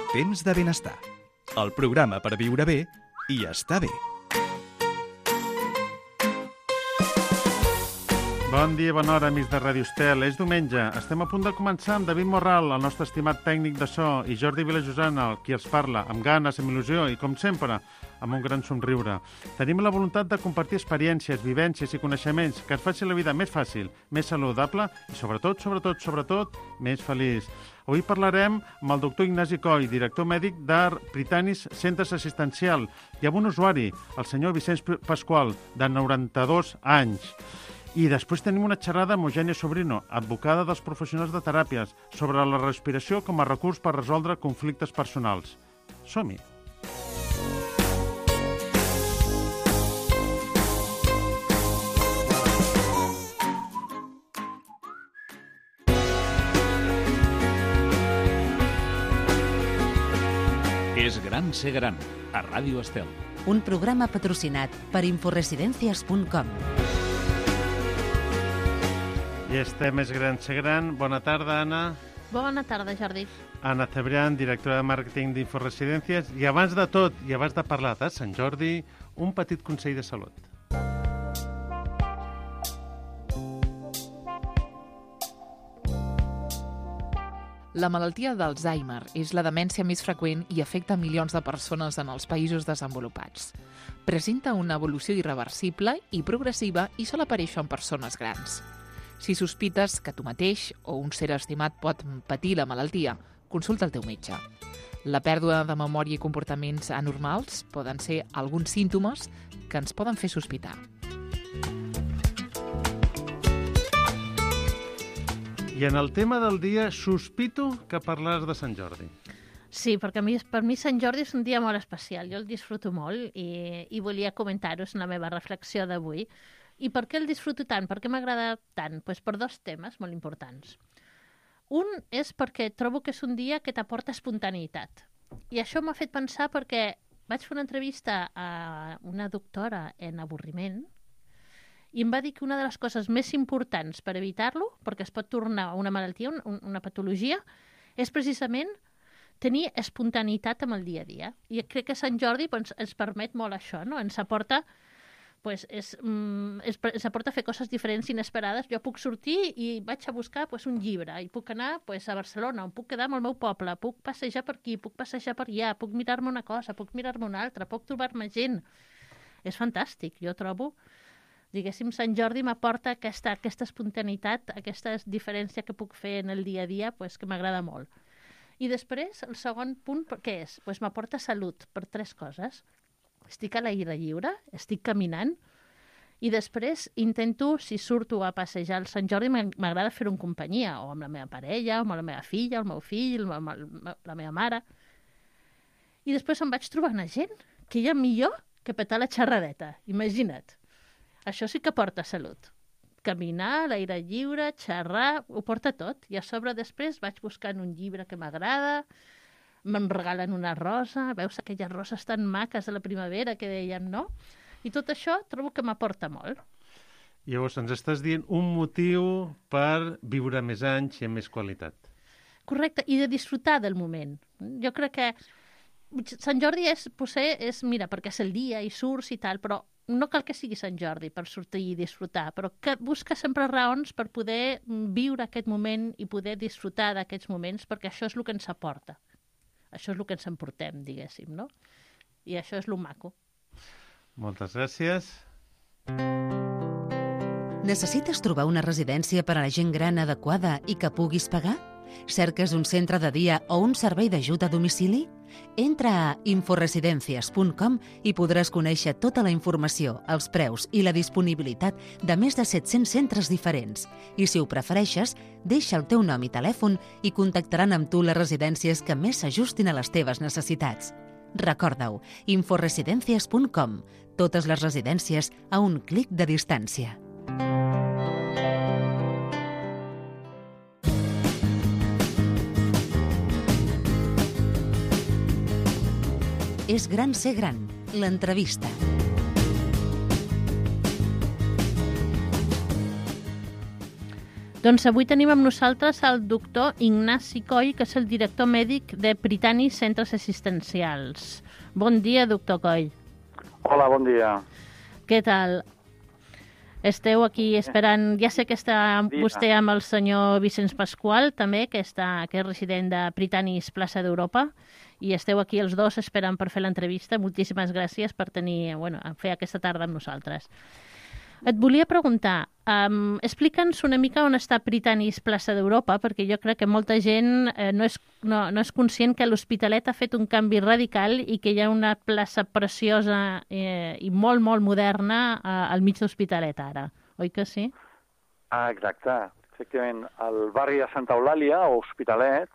Temps de benestar. El programa per viure bé i estar bé. Bon dia, bona hora, amics de Ràdio Estel. És diumenge. Estem a punt de començar amb David Morral, el nostre estimat tècnic de so, i Jordi Vilajosana, qui els parla, amb ganes, amb il·lusió i, com sempre, amb un gran somriure. Tenim la voluntat de compartir experiències, vivències i coneixements que ens facin la vida més fàcil, més saludable i, sobretot, més feliç. Avui parlarem amb el doctor Ignasi Coll, director mèdic de Prytanis Centres Assistencial, i amb un usuari, el senyor Vicenç Pasqual, de 92 anys. I després tenim una xerrada amb Eugènia Sobrino, advocada dels professionals de teràpies, sobre la respiració com a recurs per resoldre conflictes personals. Som-hi! És gran ser gran, a Ràdio Estel. Un programa patrocinat per inforesidencias.com. I estem més gran ser gran. Bona tarda, Anna. Bona tarda, Jordi. Anna Cebrián, directora de màrqueting d'Inforesidències. I abans de tot, i abans de parlar de Sant Jordi, un petit consell de salut. La malaltia d'Alzheimer és la demència més freqüent i afecta milions de persones en els països desenvolupats. Presenta una evolució irreversible i progressiva i sol aparèixer en persones grans. Si sospites que tu mateix o un ser estimat pot patir la malaltia, consulta el teu metge. La pèrdua de memòria i comportaments anormals poden ser alguns símptomes que ens poden fer sospitar. I en el tema del dia, sospito que parlaràs de Sant Jordi. Sí, perquè per mi Sant Jordi és un dia molt especial. Jo el disfruto molt i volia comentar-ho, és la meva reflexió d'avui. I per què el disfruto tant? Per què m'agrada tant? Pues per dos temes molt importants. Un és perquè trobo que és un dia que t'aporta espontaneïtat. I això m'ha fet pensar perquè vaig fer una entrevista a una doctora en avorriment i em va dir que una de les coses més importants per evitar-lo, perquè es pot tornar una malaltia, una patologia, és precisament tenir espontaneïtat amb el dia a dia. I crec que Sant Jordi ens permet molt això, no? Ens aporta a fer coses diferents, inesperades. Jo puc sortir i vaig a buscar un llibre, i puc anar a Barcelona, on puc quedar amb el meu poble, puc passejar per aquí, puc passejar per allà, puc mirar-me una cosa, puc mirar-me una altra, puc trobar-me gent. És fantàstic, jo trobo. Diguéssim, Sant Jordi m'aporta aquesta espontaneïtat, aquesta diferència que puc fer en el dia a dia, que m'agrada molt. I després, el segon punt, què és? M'aporta salut per tres coses. Estic a l'aire lliure, estic caminant, i després intento, si surto a passejar al Sant Jordi, m'agrada fer-ho en companyia, o amb la meva parella, o amb la meva filla, el meu fill, la meva mare. I després em vaig trobar una gent que hi ha millor que petar la xerradeta, imagina't. Això sí que porta salut. Caminar, l'aire lliure, xerrar, ho porta tot. I a sobre després vaig buscant un llibre que m'agrada, me'n regalen una rosa, veus aquelles roses tan maques de la primavera que dèiem, no? I tot això trobo que m'aporta molt. Llavors, ens estàs dient un motiu per viure més anys i amb més qualitat. Correcte, i de disfrutar del moment. Jo crec que Sant Jordi mira, perquè és el dia i surts i tal, però no cal que sigui Sant Jordi per sortir i disfrutar, però que busca sempre raons per poder viure aquest moment i poder disfrutar d'aquests moments, perquè això és el que ens aporta. Això és el que ens emportem, diguéssim, no? I això és lo maco. Moltes gràcies. Necessites trobar una residència per a la gent gran adequada i que puguis pagar? Cerques un centre de dia o un servei d'ajuda a domicili? Entra a inforesidencias.com i podràs conèixer tota la informació, els preus i la disponibilitat de més de 700 centres diferents. I si ho prefereixes, deixa el teu nom i telèfon i contactaran amb tu les residències que més s'ajustin a les teves necessitats. Recorda-ho, inforesidencias.com. Totes les residències a un clic de distància. És gran ser gran, l'entrevista. Doncs avui tenim amb nosaltres el doctor Ignasi Coll, que és el director mèdic de Prytanis Centres Assistencials. Bon dia, doctor Coll. Hola, bon dia. Què tal? Esteu aquí esperant... Ja sé que està vostè amb el senyor Vicenç Pasqual, també, que és resident de Prytanis Plaça d'Europa, i esteu aquí els dos esperant per fer l'entrevista. Moltíssimes gràcies per fer aquesta tarda amb nosaltres. Et volia preguntar, explica'ns una mica on està Prytanis Plaça d'Europa, perquè jo crec que molta gent no és conscient que l'Hospitalet ha fet un canvi radical i que hi ha una plaça preciosa i molt, molt moderna al mig d'Hospitalet ara, oi que sí? Exacte. Efectivament, al barri de Santa Eulàlia, o Hospitalet,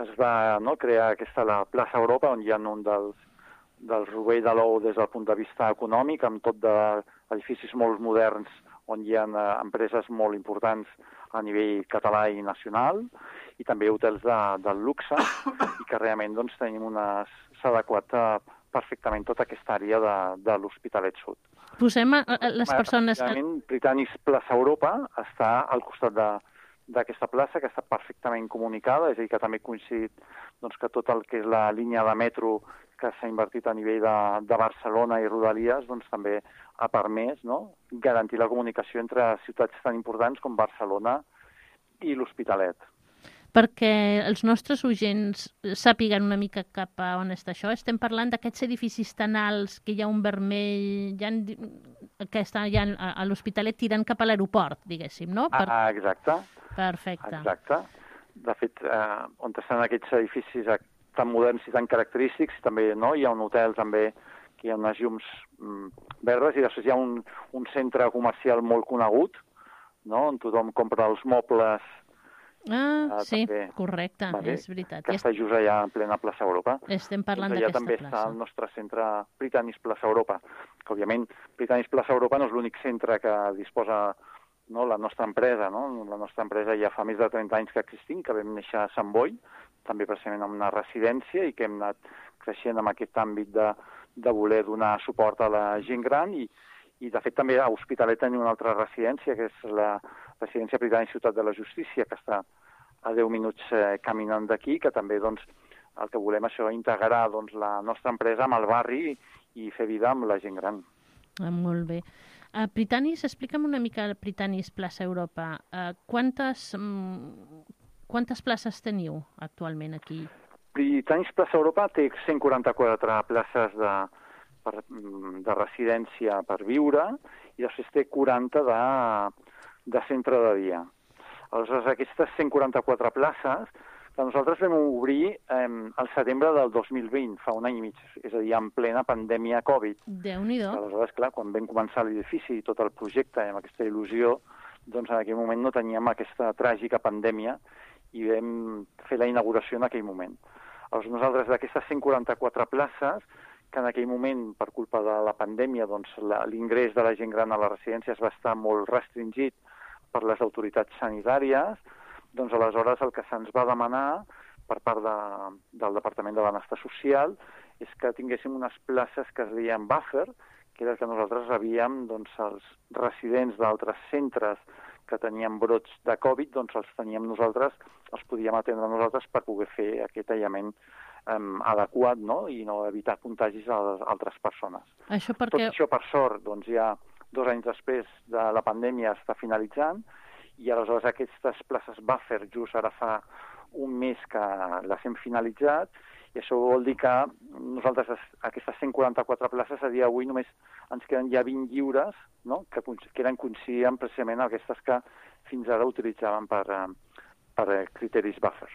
es va crear la plaça Europa, on hi ha un del rovell de l'ou des del punt de vista econòmic, amb tot d'edificis molt moderns on hi ha empreses molt importants a nivell català i nacional, i també hotels del luxe, i que realment s'ha adequat perfectament tota aquesta àrea de l'Hospitalet Sud. Posem les persones... Prytanis Plaça Europa està al costat d'aquesta plaça, que està perfectament comunicada, és a dir, que també ha coincidit que tot el que és la línia de metro que s'ha invertit a nivell de Barcelona i Rodalies, també ha permès garantir la comunicació entre ciutats tan importants com Barcelona i l'Hospitalet. Perquè els nostres oients sàpiguen una mica cap a on està això, estem parlant d'aquests edificis tan alts que hi ha un vermell, que està ja a l'Hospitalet tirant cap a l'aeroport, diguéssim, no? Exacte. Perfecte. Exacte. De fet, on estan aquests edificis tan moderns i tan característics, també hi ha un hotel també que hi ha unes llums verdes, i després hi ha un centre comercial molt conegut, on tothom compra els mobles. Sí, també, correcte, és veritat. Que està just allà en plena plaça Europa. Estem parlant d'aquesta plaça. Allà també està el nostre centre Prytanis Plaça Europa, que òbviament Prytanis Plaça Europa no és l'únic centre que disposa la nostra empresa. La nostra empresa ja fa més de 30 anys que existim, que vam néixer a Sant Boi, també precisament en una residència, i que hem anat creixent en aquest àmbit de voler donar suport a la gent gran, i de fet també a Hospitalet tenim una altra residència, que és la residència Prytanis Ciutat de la Justícia, que està a 10 minuts caminant d'aquí, que també el que volem això, integrar la nostra empresa amb el barri i fer vida amb la gent gran. Molt bé. Prytanis, explica'm una mica Prytanis Plaça Europa. Quantes places teniu actualment aquí? Prytanis Plaça Europa té 144 places de residència per viure, i després té 40 de centre de dia. Aleshores, aquestes 144 places que nosaltres vam obrir al setembre del 2020, fa un any i mig, és a dir, en plena pandèmia Covid. Déu-n'hi-do. Aleshores, clar, quan vam començar l'edifici i tot el projecte, amb aquesta il·lusió, en aquell moment no teníem aquesta tràgica pandèmia i vam fer la inauguració en aquell moment. Aleshores, nosaltres d'aquestes 144 places, que en aquell moment, per culpa de la pandèmia, l'ingrés de la gent gran a les residències va estar molt restringit per les autoritats sanitàries, aleshores el que se'ns va demanar per part del Departament de Benestar Social és que tinguéssim unes places que es deien buffer, que era que nosaltres rebíem els residents d'altres centres que tenien brots de Covid, els teníem nosaltres, els podíem atendre nosaltres per poder fer aquest aïllament adequat, i no evitar contagis a altres persones. Tot això, per sort, ja 2 anys després de la pandèmia està finalitzant, i aleshores aquestes places buffer just ara fa un mes que les hem finalitzat, i això vol dir que nosaltres aquestes 144 places a dia d'avui només ens queden ja 20 lliures, que coincidien precisament aquestes que fins ara utilitzàvem per criteris buffer.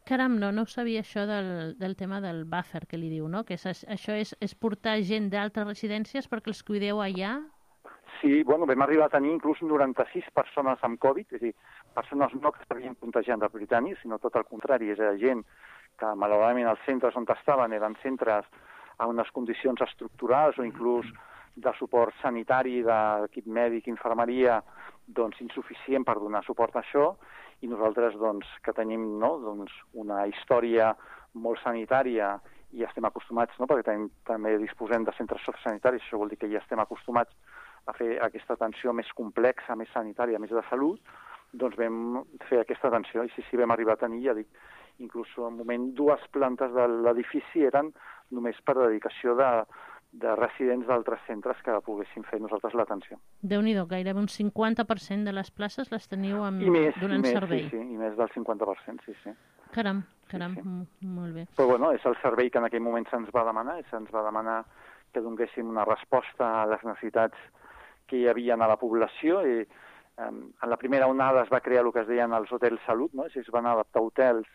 Caram, no ho sabia això del tema del buffer que li diu, no? Que això és portar gent d'altres residències perquè els cuideu allà? Sí, vam arribar a tenir inclús 96 persones amb Covid, és a dir, persones no que s'havien contagiat de Prytanis, sinó tot el contrari, és a dir, gent que malauradament els centres on estaven eren centres a unes condicions estructurals o inclús de suport sanitari, d'equip mèdic, infermeria, insuficient per donar suport a això, i nosaltres que tenim una història molt sanitària i estem acostumats, perquè també disposem de centres sociosanitaris, això vol dir que ja estem acostumats a fer aquesta atenció més complexa, més sanitària, més de salut, doncs vam fer aquesta atenció. I sí, vam arribar a tenir, ja dic, inclús en un moment 2 plantes de l'edifici eren només per dedicació de residents d'altres centres que poguéssim fer nosaltres l'atenció. Déu-n'hi-do, gairebé un 50% de les places les teniu donant servei. Sí, i més del 50%, sí. Caram, Sí. molt bé. Però bueno, és el servei que en aquell moment se'ns va demanar, que donéssim una resposta a les necessitats que hi havia a la població, i en la primera onada es va crear el que es deien els hotels salut, no? Es van adaptar hotels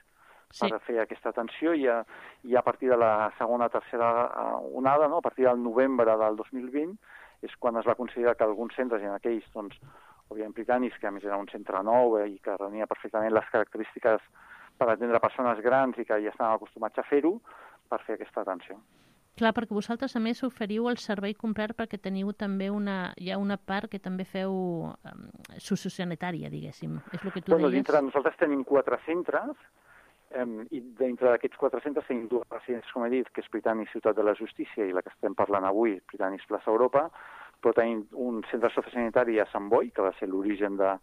per fer aquesta atenció, i a partir de la segona, tercera onada, no? A partir del novembre del 2020, és quan es va considerar que alguns centres, i en aquells, doncs, òbviament britànics, que a més era un centre nou i que reunia perfectament les característiques per atendre persones grans i que ja estaven acostumats a fer-ho, per fer aquesta atenció. Clar, perquè vosaltres a més oferiu el servei complet perquè teniu també hi ha una part que també feu sociosanitària, diguéssim. És el que tu deies? Dintre nosaltres tenim 4 centres, i dintre d'aquests 4 centres tenim 2 residències, com he dit, que és Prytanis Ciutat de la Justícia i la que estem parlant avui, Prytanis Plaça Europa, però tenim un centre sociosanitari a Sant Boi, que va ser l'origen de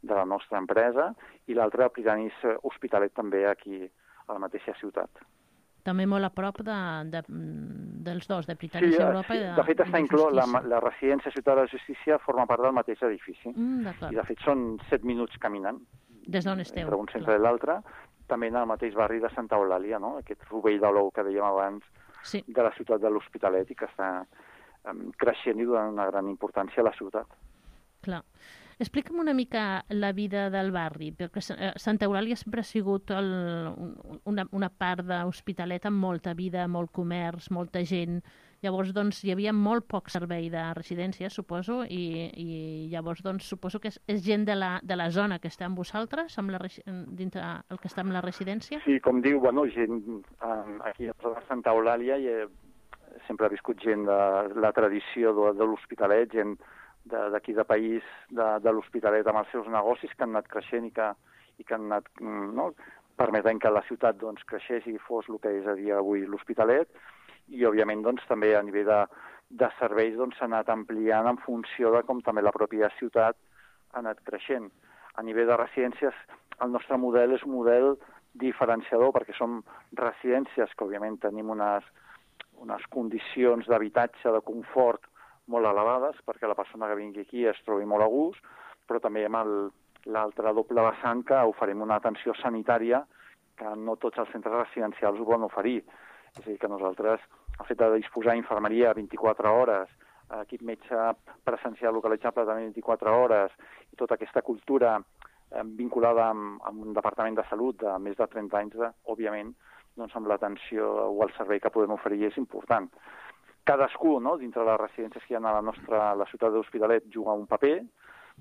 la nostra empresa, i l'altre Prytanis Hospitalet també aquí a la mateixa ciutat. També molt a prop dels dos, de Prytanis Europa i de de fet està inclòs, la residència Ciutat de la Justícia forma part del mateix edifici. I de fet són 7 minuts caminant. Des d'on esteu. Entre un centre i l'altre, també en el mateix barri de Santa Eulàlia, no? Aquest rovell de l'ou que dèiem abans, de la ciutat de l'Hospitalet, i que està creixent i donant una gran importància a la ciutat. Clar. Explica'm una mica la vida del barri, perquè Santa Eulàlia sempre ha sigut una part d'Hospitalet amb molta vida, molt comerç, molta gent. Llavors, doncs, hi havia molt poc servei de residència, suposo, i llavors, doncs, suposo que és gent de la zona que està amb vosaltres, dintre el que està amb la residència? Sí, com diu, gent aquí a Santa Eulàlia sempre ha viscut gent de la tradició de l'Hospitalet, gent d'aquí de país, de l'Hospitalet, amb els seus negocis que han anat creixent i que han anat permetent que la ciutat creixés i fos el que és a dia avui l'Hospitalet, i òbviament també a nivell de serveis s'ha anat ampliant en funció de com també la pròpia ciutat ha anat creixent. A nivell de residències, el nostre model és un model diferenciador, perquè som residències que òbviament tenim unes condicions d'habitatge, de confort molt elevades, perquè la persona que vingui aquí es trobi molt a gust, però també amb l'altre doble vessant que oferim una atenció sanitària que no tots els centres residencials ho poden oferir. És a dir, que nosaltres, el fet de disposar d'infermeria 24 hores, equip metge presencial localitzable també 24 hores, i tota aquesta cultura vinculada amb un departament de salut de més de 30 anys, òbviament, amb l'atenció o el servei que podem oferir és important. Cadascú, dintre de les residències que hi ha a la ciutat de l'Hospitalet, juga un paper,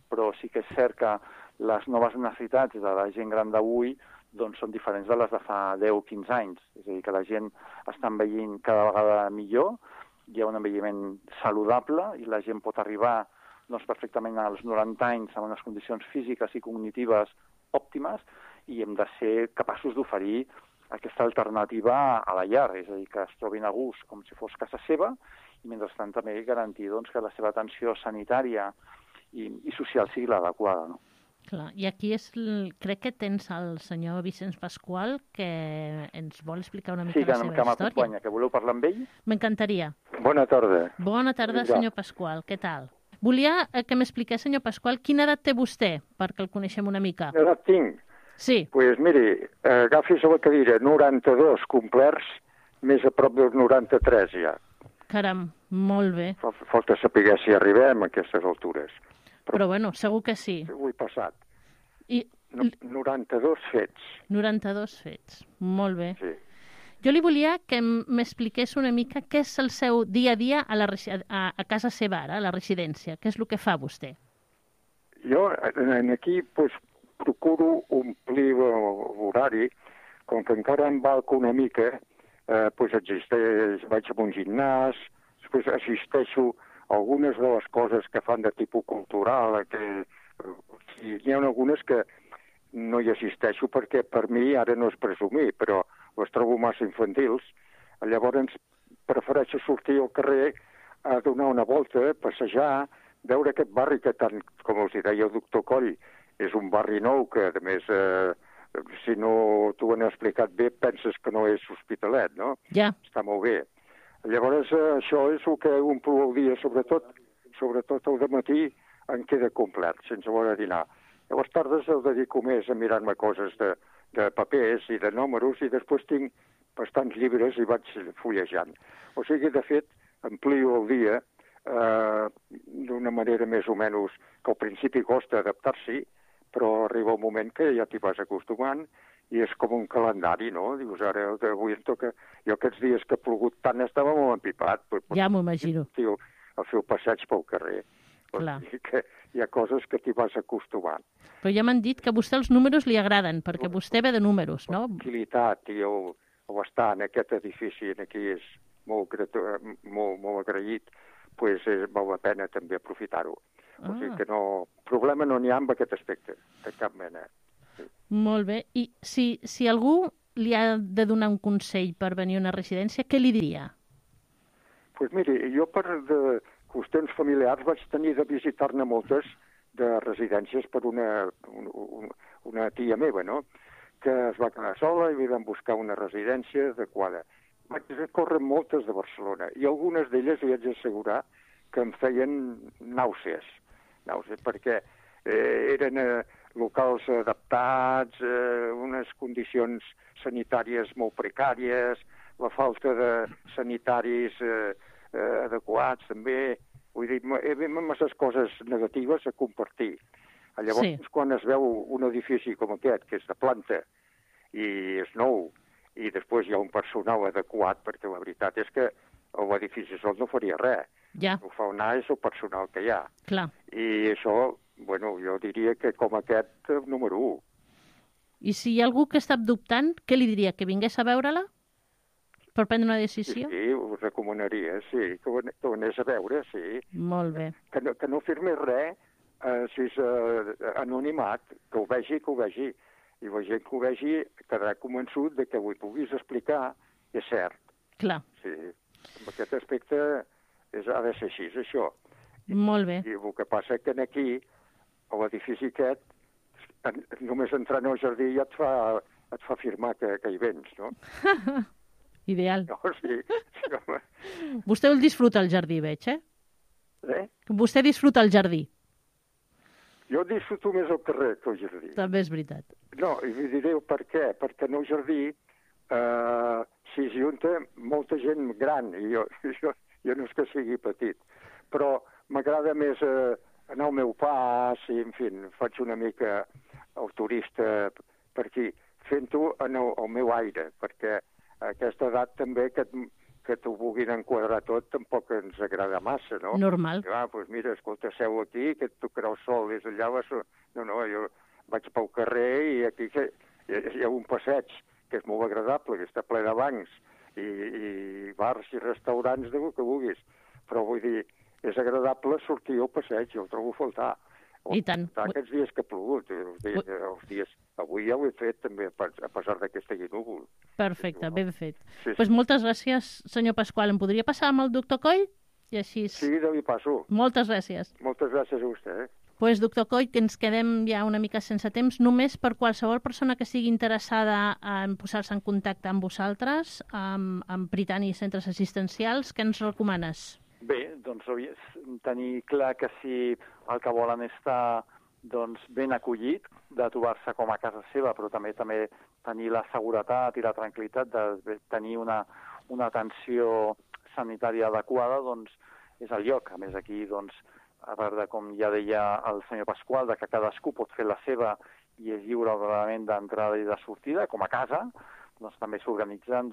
però sí que és cert que les noves necessitats de la gent gran d'avui són diferents de les de fa 10 o 15 anys. És a dir, que la gent està envellint cada vegada millor, hi ha un envelliment saludable i la gent pot arribar perfectament als 90 anys amb unes condicions físiques i cognitives òptimes, i hem de ser capaços d'oferir aquesta alternativa a la llar, és a dir, que es trobin a gust com si fos casa seva, i mentrestant també garantir que la seva atenció sanitària i social sigui l'adequada, no? Clar, i aquí crec que tens el senyor Vicenç Pasqual, que ens vol explicar una mica la seva història. Sí, que m'acompanya, que voleu parlar amb ell? M'encantaria. Bona tarda. Bona tarda, senyor Pasqual, què tal? Volia que m'expliqués, senyor Pasqual, quina edat té vostè, perquè el coneixem una mica. Quina edat tinc? Sí. Doncs miri, agafis a la cadira 92 complerts, més a prop dels 93 ja. Caram, molt bé. Falta saber si arribem a aquestes altures. Però bueno, segur que sí. Ho he passat. 92 fets. 92 fets, molt bé. Sí. Jo li volia que m'expliqués una mica què és el seu dia a dia a casa seva ara, a la residència. Què és el que fa vostè? Jo aquí procuro omplir l'horari, com que encara em valc una mica, vaig a un gimnàs, després assisteixo a algunes de les coses que fan de tipus cultural, hi ha algunes que no hi assisteixo perquè per mi ara no és presumir, però les trobo massa infantils. Llavors prefereixo sortir al carrer a donar una volta, passejar, veure aquest barri que tant, com els deia el doctor Coll, és un barri nou que, a més, si no t'ho han explicat bé, penses que no és Hospitalet, no? Ja. Està molt bé. Llavors, això és el que omplo el dia, sobretot el dematí em queda complet, sense voler dinar. Llavors, tardes el dedico més a mirar-me coses de papers i de números i després tinc bastants llibres i vaig fullejant. O sigui, de fet, amplio el dia d'una manera més o menys que al principi costa adaptar-s'hi, però arriba un moment que ja t'hi vas acostumant i és com un calendari, no? Dius, ara avui em toca... Jo aquests dies que ha plogut tant estava molt empipat. Ja m'ho imagino. A fer el passeig pel carrer. Clar. O sigui que hi ha coses que t'hi vas acostumant. Però ja m'han dit que a vostè els números li agraden, perquè vostè ve de números, no? Tranquil·litat i el estar en aquest edifici aquí és molt agraït, doncs val la pena també aprofitar-ho. O sigui que no, problema no n'hi ha amb aquest aspecte, de cap mena. Sí. Molt bé. I si algú li ha de donar un consell per venir a una residència, què li diria? Doncs miri, jo per qüestions familiars vaig tenir de visitar-ne moltes de residències per una tia meva, no?, que es va quedar sola i li vam buscar una residència adequada. Vaig córrer moltes de Barcelona i algunes d'elles li haig d'assegurar que em feien nàusees, perquè eren locals adaptats, unes condicions sanitàries molt precàries, la falta de sanitaris adequats també. Vull dir, hi ha masses coses negatives a compartir. Llavors, quan es veu un edifici com aquest, que és de planta i és nou, i després hi ha un personal adequat, perquè la veritat és que l'edifici sol no faria res. Ja. El que fa anar és el personal que hi ha. Clar. I això, bueno, jo diria que com aquest, número 1. I si hi ha algú que està dubtant, què li diria? Que vingués a veure-la? Per prendre una decisió? Sí, ho recomanaria, sí, que ho anés a veure, sí. Molt bé. Que no firmis res, si és anonimat, que ho vegi. I la gent que ho vegi quedarà convençut de que ho puguis explicar, és cert. Clar. Sí, en aquest aspecte ha de ser així, això. Molt bé. I el que passa que aquí, a l'edifici aquest, només entrant al jardí ja et fa afirmar que hi vens, no? Ideal. No, sí, home. Vostè el disfruta el jardí, veig, Eh? Vostè disfruta el jardí. Jo disfruto més al carrer que al jardí. També és veritat. No, i li diré per què. Perquè en el jardí s'hi junta molta gent gran, i jo no és que sigui petit, però m'agrada més anar al meu pas, i, en fi, faig una mica el turista per aquí, fent-ho en el meu aire, perquè a aquesta edat també que t'ho vulguin enquadrar tot tampoc ens agrada massa, no? Normal. Doncs mira, escolta, seu aquí, que et tocarà el sol des d'allà. No, jo vaig pel carrer i aquí hi ha un passeig que és molt agradable, que està ple de bancs i bars i restaurants del que vulguis. Però vull dir, és agradable sortir al passeig, jo ho trobo a faltar. I tant. Aquests dies que ha plogut, els dies... Avui ja ho he fet també, a pesar d'aquesta núvol. Perfecte, ben fet. Sí. Doncs moltes gràcies, senyor Pasqual. Em podria passar amb el doctor Coll? I així... Sí, li passo. Moltes gràcies. Moltes gràcies a vostè. Doncs, doctor Coll, que ens quedem ja una mica sense temps, només per qualsevol persona que sigui interessada en posar-se en contacte amb vosaltres, amb Prytani Centres Assistencials, què ens recomanes? Bé, doncs tenir clar que si el que volen estar ben acollit, de trobar-se com a casa seva, però també tenir la seguretat i la tranquil·litat de tenir una atenció sanitària adequada, doncs és el lloc. A més, aquí, a part de, com ja deia el senyor Pasqual, de que cadascú pot fer la seva i és lliure realment d'entrada i de sortida, com a casa, doncs també s'organitzen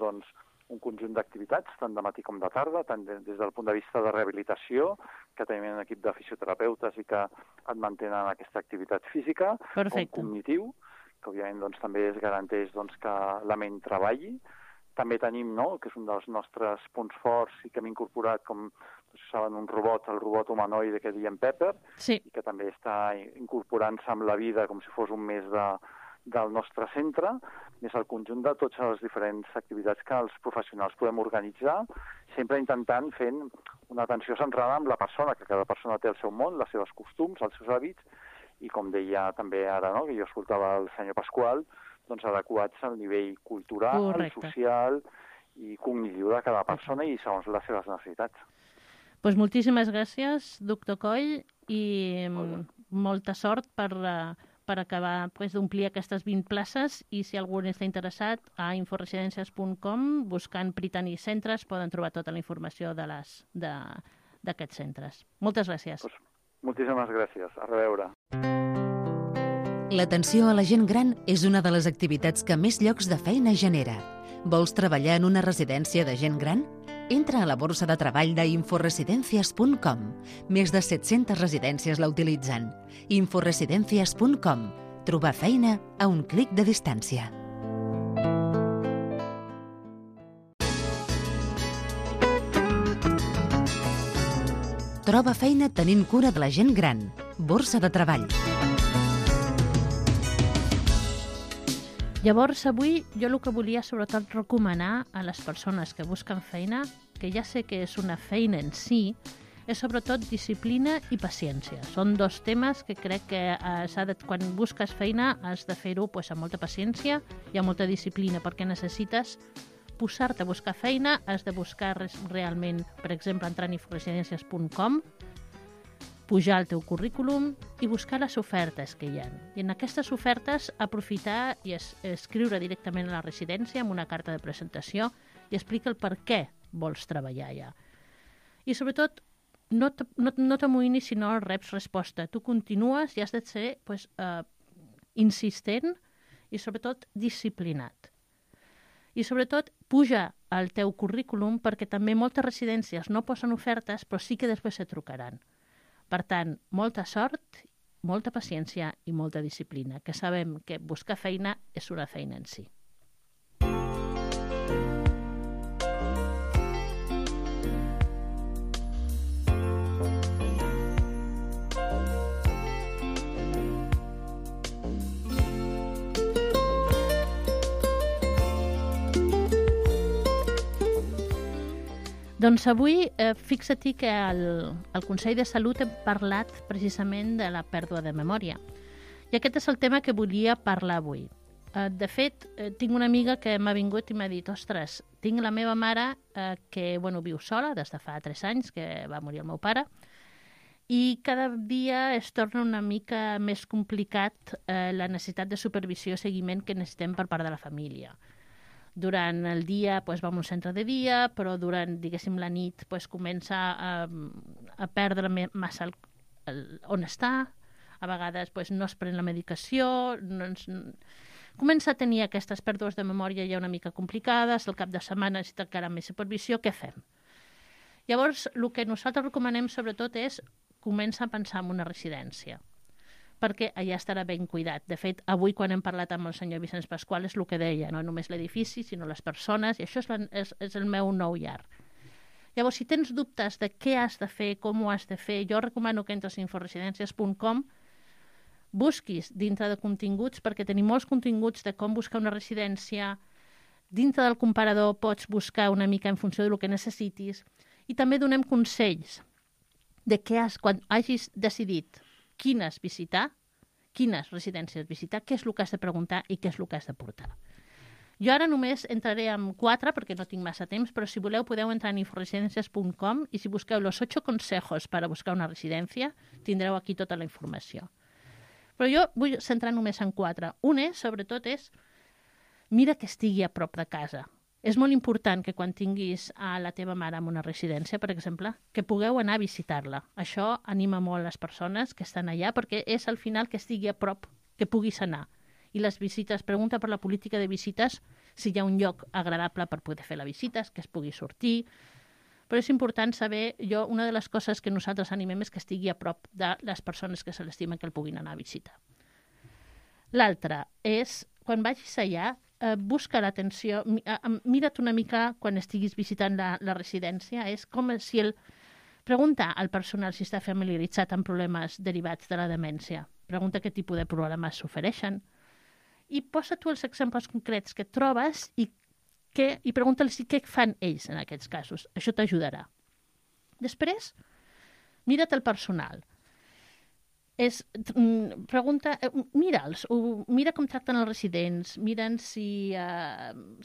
un conjunt d'activitats, tant de matí com de tarda, tant des del punt de vista de rehabilitació, que tenim un equip de fisioterapeutes i que et mantenen aquesta activitat física, com cognitiu, que òbviament també es garanteix que la ment treballi. També tenim, que és un dels nostres punts forts i que hem incorporat, com saben, el robot humanoide que diem Pepper, sí, i que també està incorporant-se amb la vida com si fos un mes del nostre centre, més el conjunt de totes les diferents activitats que els professionals podem organitzar, sempre intentant fent una atenció centrada en la persona, que cada persona té el seu món, les seves costums, els seus hàbits, i com deia també ara, no?, que jo escoltava el senyor Pasqual, doncs adequats al nivell cultural, social i cognitiu de cada persona i segons les seves necessitats. Doncs moltíssimes gràcies, doctor Coll, i molta sort per acabar d'omplir aquestes 20 places, i si algú està interessat, a inforesidències.com, buscant Prytany Centres, poden trobar tota la informació d'aquests centres. Moltes gràcies. Pues, moltíssimes gràcies. A reveure. L'atenció a la gent gran és una de les activitats que més llocs de feina genera. Vols treballar en una residència de gent gran? Entra a la borsa de treball d'inforesidencias.com. Més de 700 residències la utilitzen. Inforesidencias.com. Trobar feina a un clic de distància. Troba feina tenint cura de la gent gran. Borsa de treball. Llavors, avui jo el que volia sobretot recomanar a les persones que busquen feina, que ja sé que és una feina en si, és sobretot disciplina i paciència. Són dos temes que crec que quan busques feina has de fer-ho amb molta paciència i amb molta disciplina, perquè necessites posar-te a buscar feina, has de buscar realment, per exemple, entrar en inforesidències.com, pujar el teu currículum i buscar les ofertes que hi ha. I en aquestes ofertes aprofitar i escriure directament a la residència amb una carta de presentació i explica el per què vols treballar allà. I sobretot, no t'amoïnis si no reps resposta. Tu continues i has de ser insistent i sobretot disciplinat. I sobretot puja el teu currículum perquè també moltes residències no posen ofertes però sí que després se trucaran. Per tant, molta sort, molta paciència i molta disciplina, que sabem que buscar feina és una feina en si. Doncs avui, fixa't que al Consell de Salut hem parlat precisament de la pèrdua de memòria. I aquest és el tema que volia parlar avui. De fet, tinc una amiga que m'ha vingut i m'ha dit «Ostres, tinc la meva mare que viu sola des de fa 3 anys, que va morir el meu pare, i cada dia es torna una mica més complicat la necessitat de supervisió i seguiment que necessitem per part de la família». Durant el dia va a un centre de dia, però durant, diguéssim, la nit comença a perdre massa on està, a vegades no es pren la medicació, comença a tenir aquestes pèrdues de memòria ja una mica complicades, al cap de setmana necessita encara més supervisió, què fem? Llavors, el que nosaltres recomanem sobretot és començar a pensar en una residència, perquè allà estarà ben cuidat. De fet, avui quan hem parlat amb el senyor Vicenç Pasqual és el que deia, no només l'edifici, sinó les persones, i això és el meu nou llar. Llavors, si tens dubtes de què has de fer, com ho has de fer, jo recomano que entres a inforesidències.com, busquis dintre de continguts, perquè tenim molts continguts de com buscar una residència, dintre del comparador pots buscar una mica en funció del que necessitis, i també donem consells de què quan hagis decidit quines visitar, quines residències visitar, què és el que has de preguntar i què és el que has de portar. Jo ara només entraré en 4 perquè no tinc massa temps, però si voleu podeu entrar en inforesidències.com i si busqueu los 8 consejos para buscar una residència, tindreu aquí tota la informació. Però jo vull centrar només en 4. Un sobretot és, mira que estigui a prop de casa. És molt important que quan tinguis a la teva mare en una residència, per exemple, que pugueu anar a visitar-la. Això anima molt les persones que estan allà perquè és al final que estigui a prop, que puguis anar. I les visites, pregunta per la política de visites si hi ha un lloc agradable per poder fer les visites, que es pugui sortir. Però és important saber, una de les coses que nosaltres animem és que estigui a prop de les persones que se l'estimen que el puguin anar a visitar. L'altre és, quan vagis allà, busca l'atenció, mira't una mica quan estiguis visitant la residència, és com si pregunta al personal si està familiaritzat amb problemes derivats de la demència, pregunta què tipus de problemes s'ofereixen i posa tu els exemples concrets que trobes i pregunta-los què fan ells en aquests casos, això t'ajudarà. Després, mira't el personal. pregunta, mira'ls, mira com tracten els residents, miren si,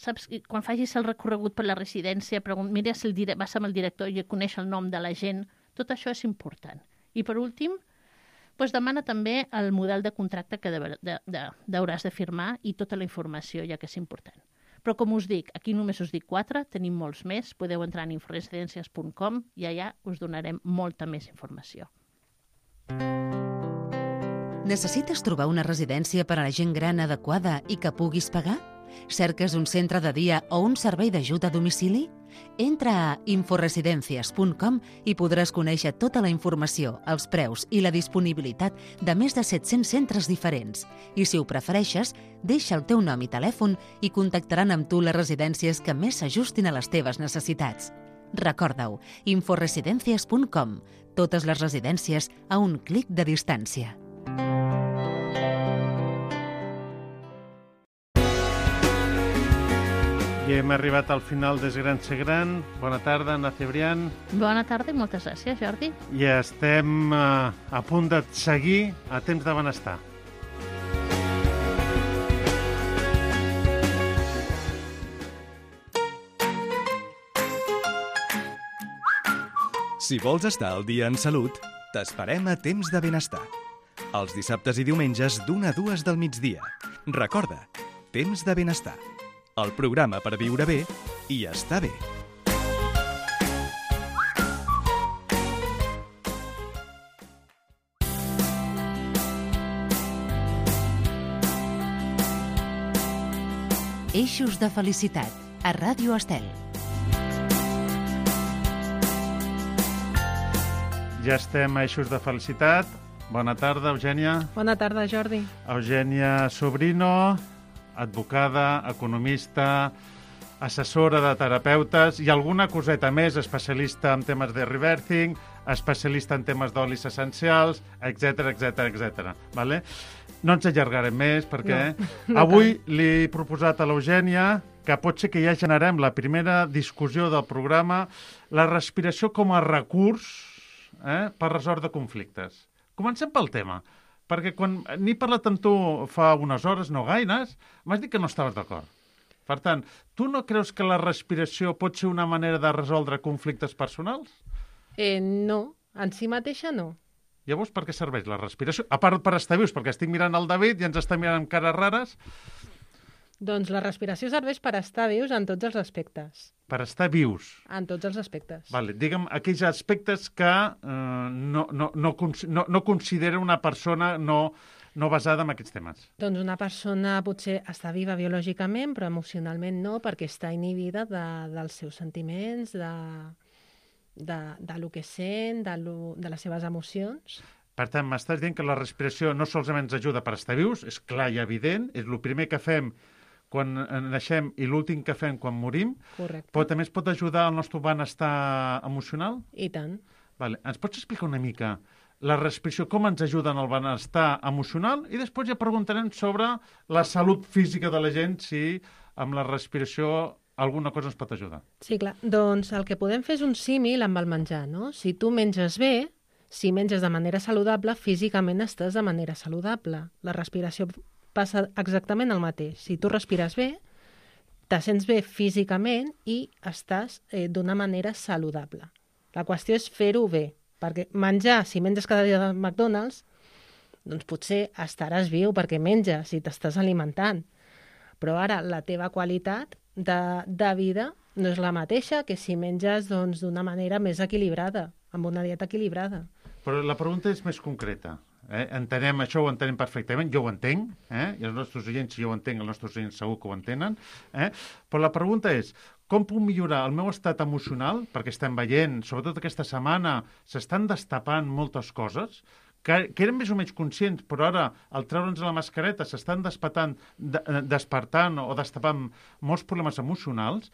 saps, quan facis el recorregut per la residència, mira si vas amb el director i coneix el nom de la gent, tot això és important. I per últim, doncs demana també el model de contracte que hauràs de firmar i tota la informació, ja que és important. Però com us dic, aquí només us dic 4, tenim molts més, podeu entrar en inforesidencias.com i allà us donarem molta més informació. Necessites trobar una residència per a la gent gran adequada i que puguis pagar? Cerques un centre de dia o un servei d'ajut a domicili? Entra a inforesidencias.com i podràs conèixer tota la informació, els preus i la disponibilitat de més de 700 centres diferents. I si ho prefereixes, deixa el teu nom i telèfon i contactaran amb tu les residències que més s'ajustin a les teves necessitats. Recorda-ho, inforesidencias.com. Totes les residències a un clic de distància. I hem arribat al final des Gran Ser Gran. Bona tarda, Anna Cebrián. Bona tarda i moltes gràcies, Jordi. I estem a punt de seguir a Temps de Benestar. Si vols estar al dia en salut, t'esperem a Temps de Benestar. Els dissabtes i diumenges d'1 a 2 del migdia. Recorda, Temps de Benestar. El programa per viure bé i estar bé. Eixos de felicitat, a Ràdio Estel. Ja estem a Eixos de Felicitat. Bona tarda, Eugènia. Bona tarda, Jordi. Eugènia Sobrino, advocada, economista, assessora de terapeutes i alguna coseta més, especialista en temes de rebirthing, especialista en temes d'olis essencials, etc. Vale? No ens allargarem més perquè avui li he proposat a l'Eugènia que pot ser que ja generem la primera discussió del programa, la respiració com a recurs per resoldre conflictes. Comencem pel tema. Perquè quan n'he parlat amb tu fa unes hores, no gaires, m'has dit que no estaves d'acord. Per tant, tu no creus que la respiració pot ser una manera de resoldre conflictes personals? No, en si mateixa no. Llavors, per què serveix la respiració? A part per estar vius, perquè estic mirant el David i ens està mirant amb cares rares. Doncs la respiració serveix per estar vius en tots els aspectes. Per estar vius. En tots els aspectes. Vale, digue'm aquells aspectes que no considera una persona no basada en aquests temes. Doncs una persona potser està viva biològicament, però emocionalment no, perquè està inhibida dels seus sentiments, de lo que sent, de les seves emocions. Per tant, m'estàs dient que la respiració no solament ens ajuda per estar vius, és clar i evident, és el primer que fem quan naixem i l'últim que fem quan morim. Correcte. Però també es pot ajudar al nostre benestar emocional? I tant. Vale. Ens pots explicar una mica la respiració, com ens ajuda en el benestar emocional? I després ja preguntarem sobre la salut física de la gent, si amb la respiració alguna cosa ens pot ajudar. Sí, clar. Doncs el que podem fer és un símil amb el menjar, no? Si tu menges bé, si menges de manera saludable, físicament estàs de manera saludable. La respiració passa exactament el mateix. Si tu respires bé, te sents bé físicament i estàs d'una manera saludable. La qüestió és fer-ho bé, perquè menjar, si menges cada dia del McDonald's, doncs potser estaràs viu perquè menges i t'estàs alimentant. Però ara la teva qualitat de vida no és la mateixa que si menges d'una manera més equilibrada, amb una dieta equilibrada. Però la pregunta és més concreta. Entenem, això ho entenem perfectament, jo ho entenc, i els nostres oients, si jo ho entenc, els nostres oients segur que ho entenen, però la pregunta és, com puc millorar el meu estat emocional, perquè estem veient, sobretot aquesta setmana, s'estan destapant moltes coses, que eren més o menys conscients, però ara, al treure'ns la mascareta, s'estan despertant o destapant molts problemes emocionals.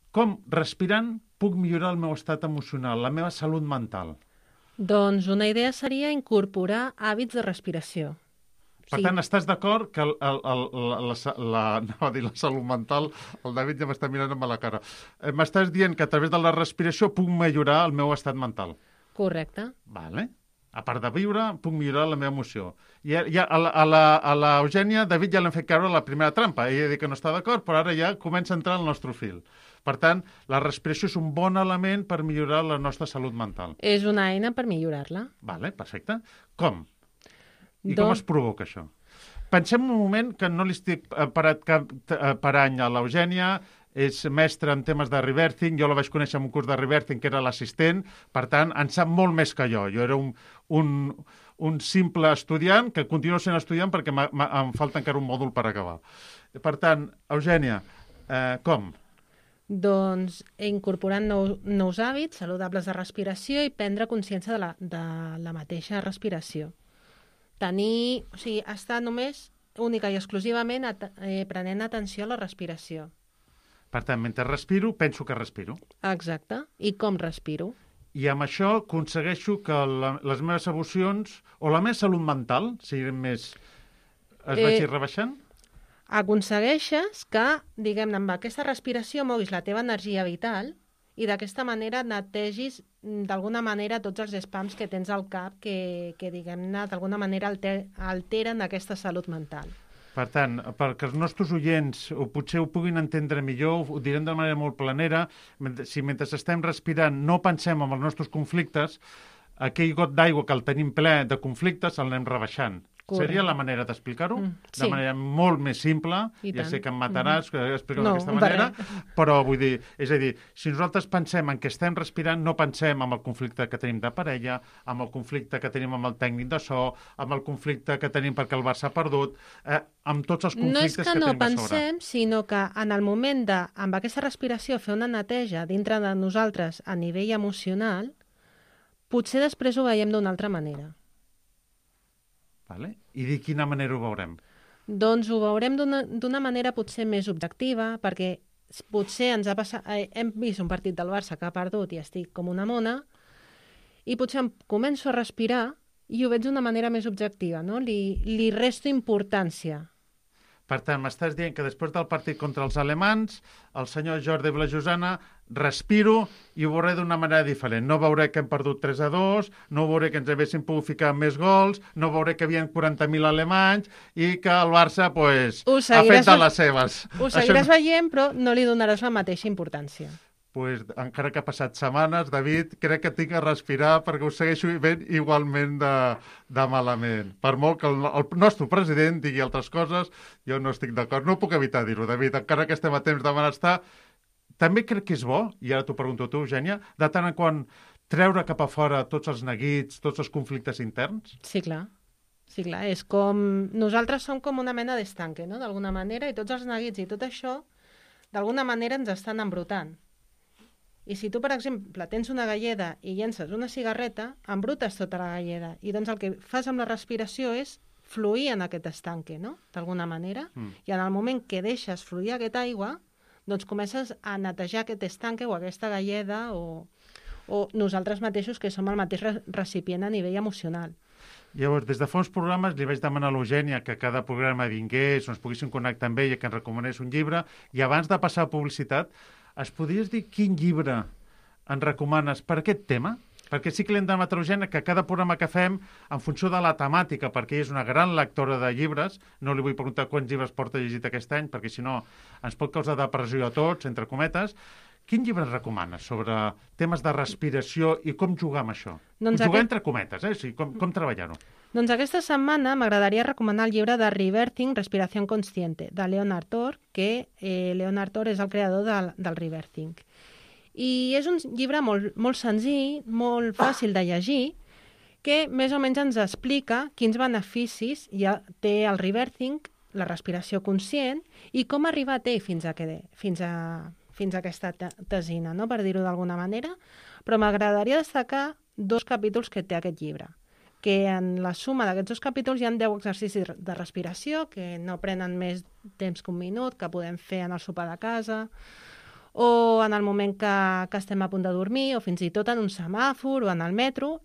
Com, respirant, puc millorar el meu estat emocional, la meva salut mental? Doncs una idea seria incorporar hàbits de respiració. Per tant, estàs d'acord que la salut mental, el David ja m'està mirant amb la cara, m'estàs dient que a través de la respiració puc millorar el meu estat mental? Correcte. Vale. A part de viure, puc millorar la meva emoció. I a l'Eugènia, David, ja l'hem fet caure la primera trampa. Ella diu que no està d'acord, però ara ja comença a entrar al nostre fil. Per tant, la respiració és un bon element per millorar la nostra salut mental. És una eina per millorar-la. Vale, perfecte. Com? I com es provoca això? Pensem un moment que no li estic parant a l'Eugènia, és mestre en temes de rebirthing, jo la vaig conèixer en un curs de rebirthing que era l'assistent, per tant, en sap molt més que jo. Jo era un simple estudiant, que continuo sent estudiant perquè em falta encara un mòdul per acabar. Per tant, Eugènia, com? Doncs incorporant nous hàbits saludables de respiració i prendre consciència de la mateixa respiració. Estar només, única i exclusivament, prenent atenció a la respiració. Per tant, mentre respiro, penso que respiro. Exacte. I com respiro? I amb això aconsegueixo que les meves emocions, o la meva salut mental, siguin més... es vagi rebaixant? Aconsegueixes que, diguem-ne, amb aquesta respiració moguis la teva energia vital i d'aquesta manera netegis d'alguna manera tots els spams que tens al cap que diguem-ne, d'alguna manera alteren aquesta salut mental. Per tant, perquè els nostres oients potser ho puguin entendre millor, ho direm de manera molt planera, si mentre estem respirant no pensem en els nostres conflictes, aquell got d'aigua que el tenim ple de conflictes el anem rebaixant. Correcte. Seria la manera d'explicar-ho? Sí. De manera molt més simple, ja sé que em mataràs explicar-ho d'aquesta manera, però vull dir, és a dir, si nosaltres pensem en què estem respirant, no pensem en el conflicte que tenim de parella, amb el conflicte que tenim amb el tècnic de so, amb el conflicte que tenim perquè el Barça ha perdut, amb tots els conflictes que tenim a sobre. No és que no pensem, sinó que en el moment de, amb aquesta respiració, fer una neteja dintre de nosaltres a nivell emocional, potser després ho veiem d'una altra manera. Vale. I de quina manera ho veurem? Doncs ho veurem d'una manera potser més objectiva, perquè potser ens ha passat, hem vist un partit del Barça que ha perdut i estic com una mona, i potser em començo a respirar i ho veig d'una manera més objectiva, no? Li resto importància. Per tant, m'estàs dient que després del partit contra els alemans, el senyor Jordi Vilajosana, respiro i ho veuré d'una manera diferent. No veuré que hem perdut 3-2, no veuré que ens haguessin pogut ficar més gols, no veuré que hi havia 40.000 alemanys i que el Barça ha fet de les seves. Ho seguiràs veient, però no li donaràs la mateixa importància. Encara que ha passat setmanes, David, crec que tinc que respirar perquè ho segueixo veient igualment de malament. Per molt que el nostre president digui altres coses, jo no estic d'acord. No puc evitar dir-ho, David, encara que estem a temps de benestar. També crec que és bo, i ara t'ho pregunto a tu, Eugènia, de tant en quant treure cap a fora tots els neguits, tots els conflictes interns? Sí, clar. Sí, clar. És com... Nosaltres som com una mena d'estanque, no?, d'alguna manera, i tots els neguits i tot això, d'alguna manera ens estan embrutant. I si tu, per exemple, tens una galleda i llences una cigarreta, embrutes tota la galleda. I doncs el que fas amb la respiració és fluir en aquest estanque, no?, d'alguna manera. I en el moment que deixes fluir aquesta aigua, doncs comences a netejar aquest estanque o aquesta galleda o nosaltres mateixos, que som el mateix recipient a nivell emocional. Llavors, des de fa uns programes li vaig demanar a l'Eugènia que cada programa vingués, ens poguéssim connectar amb ella, que ens recomanés un llibre, i abans de passar a publicitat, es podries dir quin llibre ens recomanes per aquest tema? Perquè sí que l'hem demanat a l'Eugènia que cada programa que fem, en funció de la temàtica, perquè ella és una gran lectora de llibres, no li vull preguntar quants llibres porta llegit aquest any, perquè si no ens pot causar depressió a tots, entre cometes. Quin llibre ens recomanes sobre temes de respiració i com jugar amb això? Doncs jugar entre cometes, o sigui, com treballar-ho? Doncs aquesta setmana m'agradaria recomanar el llibre de Rebirthing, Respiración Consciente, de Leonard Tor, que Leonard Tor és el creador del Rebirthing. I és un llibre molt senzill, molt fàcil de llegir, que més o menys ens explica quins beneficis ja té el Rebirthing, la respiració conscient, i com arribar a fins a aquesta tesina, no?, per dir-ho d'alguna manera. Però m'agradaria destacar 2 capítols que té aquest llibre, que en la suma d'aquests 2 capítols hi ha 10 exercicis de respiració que no prenen més temps que un minut, que podem fer en el sopar de casa, o en el moment que estem a punt de dormir, o fins i tot en un semàfor o en el metro.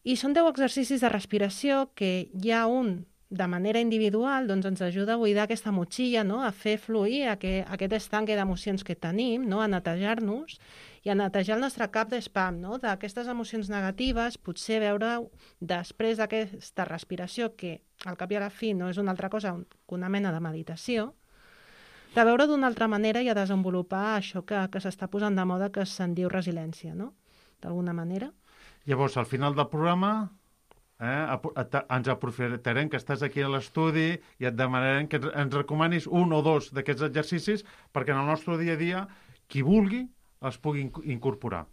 I són 10 exercicis de respiració que hi ha un de manera individual doncs ens ajuda a buidar aquesta motxilla, no? A fer fluir aquest estanque d'emocions que tenim, no? A netejar-nos i a netejar el nostre cap d'espam, no? D'aquestes emocions negatives, potser veure després d'aquesta respiració, que al cap i a la fi no és una altra cosa que una mena de meditació, de veure d'una altra manera i a desenvolupar això que s'està posant de moda, que se'n diu resiliència, no? D'alguna manera. Llavors, al final del programa ens aprofitarem que estàs aquí a l'estudi i et demanarem que ens recomanis un o dos d'aquests exercicis perquè en el nostre dia a dia, qui vulgui, els pugui incorporar.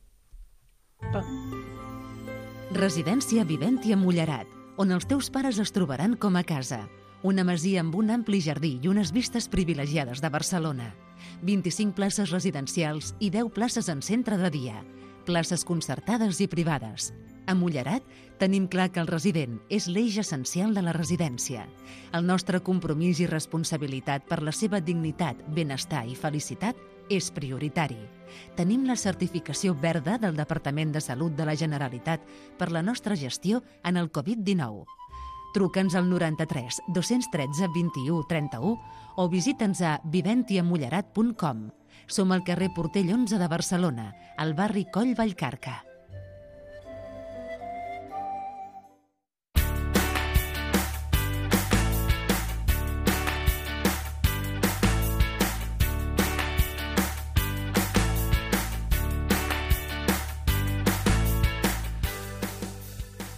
Residència Viventi a Mullerat, on els teus pares es trobaran com a casa. Una masia amb un ampli jardí i unes vistes privilegiades de Barcelona. 25 places residencials i 10 places en centre de dia. Places concertades i privades. A Mullerat tenim clar que el resident és l'eix essencial de la residència. El nostre compromís i responsabilitat per la seva dignitat, benestar i felicitat és prioritari. Tenim la certificació verda del Departament de Salut de la Generalitat per la nostra gestió en el Covid-19. Truca'ns al 93 213 21 31 o visita'ns a viventiamullerat.com. Som al carrer Portell 11 de Barcelona, al barri Coll Vallcarca.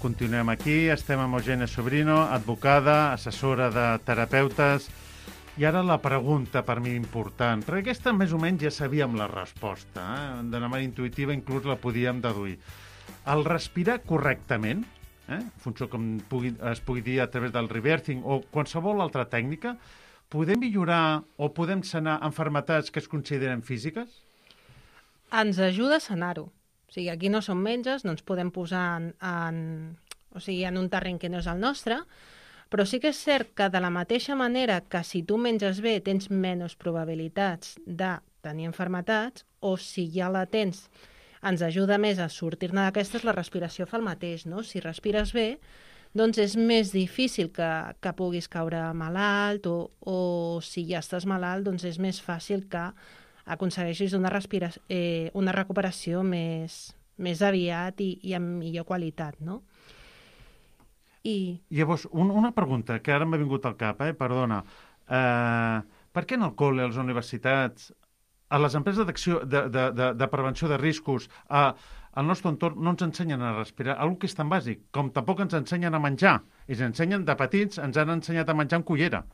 Continuem aquí, estem amb Eugènia Sobrino, advocada, assessora de terapeutes. I ara la pregunta per mi important, perquè aquesta més o menys ja sabíem la resposta, d'una manera intuïtiva inclús la podíem deduir. El respirar correctament, en funció com es pugui dir a través del reversing o qualsevol altra tècnica, podem millorar o podem sanar malalties que es consideren físiques? Ens ajuda a sanar-ho. O sigui, aquí no som metges, no ens podem posar en un terreny que no és el nostre, però sí que és cert que de la mateixa manera que si tu menges bé tens menys probabilitats de tenir malalties, o si ja la tens, ens ajuda més a sortir-ne d'aquestes, la respiració fa el mateix, no? Si respires bé, doncs és més difícil que puguis caure malalt, o si ja estàs malalt, doncs és més fàcil que aconsegueixis una recuperació més aviat i amb millor qualitat, no? Llavors, una pregunta que ara m'ha vingut al cap, perdona. Per què en el col·le, a les universitats, a les empreses de prevenció de riscos, al nostre entorn no ens ensenyen a respirar? Algo que és tan bàsic, com tampoc ens ensenyen a menjar. Ens ensenyen de petits, ens han ensenyat a menjar amb cullera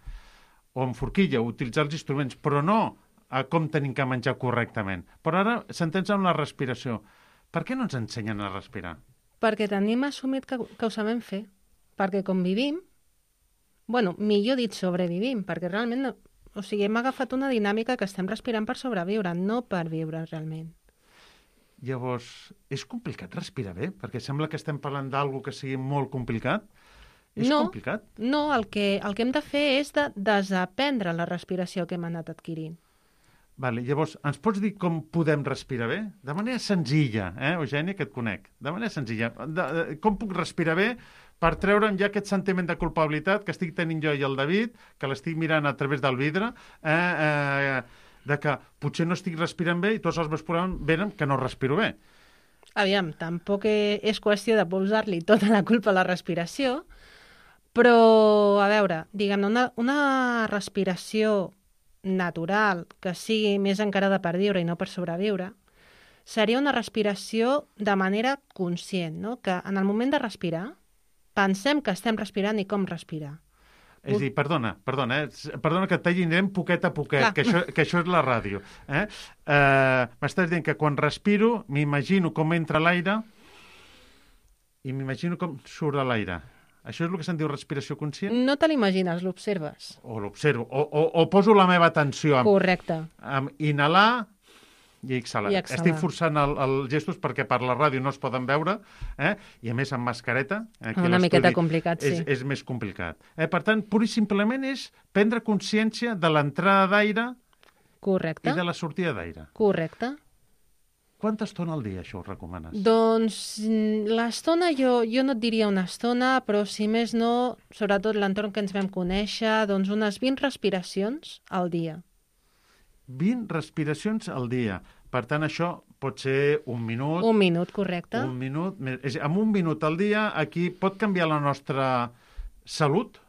o amb forquilla, utilitzar els instruments, però no a com tenim que menjar correctament. Però ara s'entens amb la respiració. Per què no ens ensenyen a respirar? Perquè tenim assumit que ho sabem fer. Perquè com vivim, millor dit sobrevivim, perquè realment, hem agafat una dinàmica que estem respirant per sobreviure, no per viure realment. Llavors, és complicat respirar bé? Perquè sembla que estem parlant d'algo que sigui molt complicat. És complicat? No, el que hem de fer és de desaprendre la respiració que hem anat adquirint. Vale, llavors, ens pots dir com podem respirar bé? De manera senzilla, Eugènia, que et conec. De manera senzilla. Com puc respirar bé per treure'm ja aquest sentiment de culpabilitat que estic tenint jo i el David, que l'estic mirant a través del vidre, de que potser no estic respirant bé i tots els meus problemes venen que no respiro bé. Aviam, tampoc és qüestió de posar-li tota la culpa a la respiració, però, a veure, diguem-ne, una respiració natural, que sigui més encarada per viure i no per sobreviure, seria una respiració de manera conscient, no? Que en el moment de respirar pensem que estem respirant i com respirar. És a dir, perdona que et talli, anirem poquet a poquet, que això és la ràdio. M'estàs dient que quan respiro m'imagino com entra l'aire i m'imagino com surt l'aire. Això és el que se'n diu respiració conscient? No te l'imagines, l'observes. O l'observo, o poso la meva atenció. Correcte. Inhalar i exhalar. Estic forçant els gestos perquè per la ràdio no es poden veure, i a més amb mascareta. Una miqueta complicat, sí. És més complicat. Per tant, pur i simplement és prendre consciència de l'entrada d'aire. Correcte. I de la sortida d'aire. Correcte. Quanta estona al dia això ho recomanes? Doncs l'estona, jo no et diria una estona, però si més no, sobretot l'entorn que ens vam conèixer, doncs unes 20 respiracions al dia. 20 respiracions al dia. Per tant, això pot ser un minut. Un minut, correcte. Un minut. Amb un minut al dia, aquí pot canviar la nostra salut?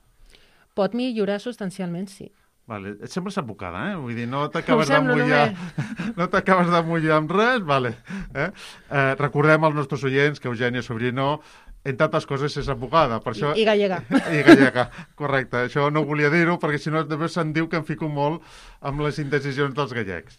Pot millorar substancialment, sí. Vale. Et sembles advocada, eh? Vull dir, no t'acabes de mullar... No t'acabes de mullar amb res? Vale. Recordem als nostres oients que Eugènia Sobrino, entre altres coses, és advocada. Per això... I gallega. I gallega, correcte. Això no volia dir-ho, perquè si no després se'n diu que em fico molt amb les indecisions dels gallecs.